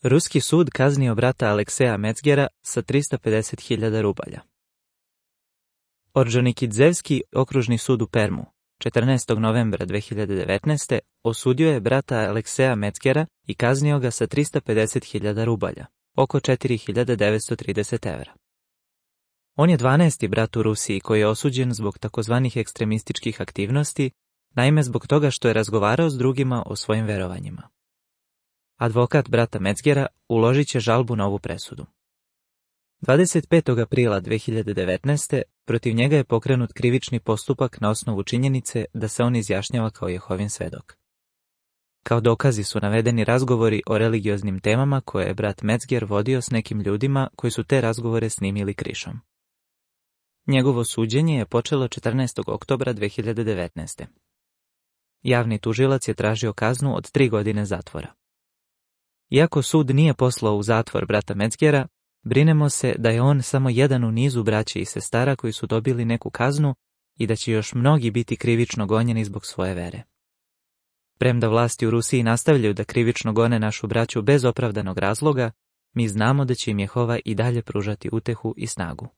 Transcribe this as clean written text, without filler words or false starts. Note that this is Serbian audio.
Ruski sud kaznio brata Alekseja Mecgera sa 350.000 rubalja. Ordžonikidzevski okružni sud u Permu 14. novembra 2019. osudio je brata Alekseja Mecgera i kaznio ga sa 350.000 rubalja, oko 4.930 evra. On je 12. brat u Rusiji koji je osuđen zbog takozvanih ekstremističkih aktivnosti, naime zbog toga što je razgovarao s drugima o svojim verovanjima. Advokat brata Mecgera uložit će žalbu na ovu presudu. 25. aprila 2019. protiv njega je pokrenut krivični postupak na osnovu činjenice da se on izjašnjava kao Jehovin svedok. Kao dokazi su navedeni razgovori o religioznim temama koje je brat Mecger vodio s nekim ljudima koji su te razgovore snimili krišom. Njegovo suđenje je počelo 14. oktobra 2019. Javni tužilac je tražio kaznu od 3 godine zatvora. Iako sud nije poslao u zatvor brata Mecgera, brinemo se da je on samo jedan u nizu braće i sestara koji su dobili neku kaznu i da će još mnogi biti krivično gonjeni zbog svoje vere. Premda vlasti u Rusiji nastavljaju da krivično gone našu braću bez opravdanog razloga, mi znamo da će im Jehova i dalje pružati utehu i snagu.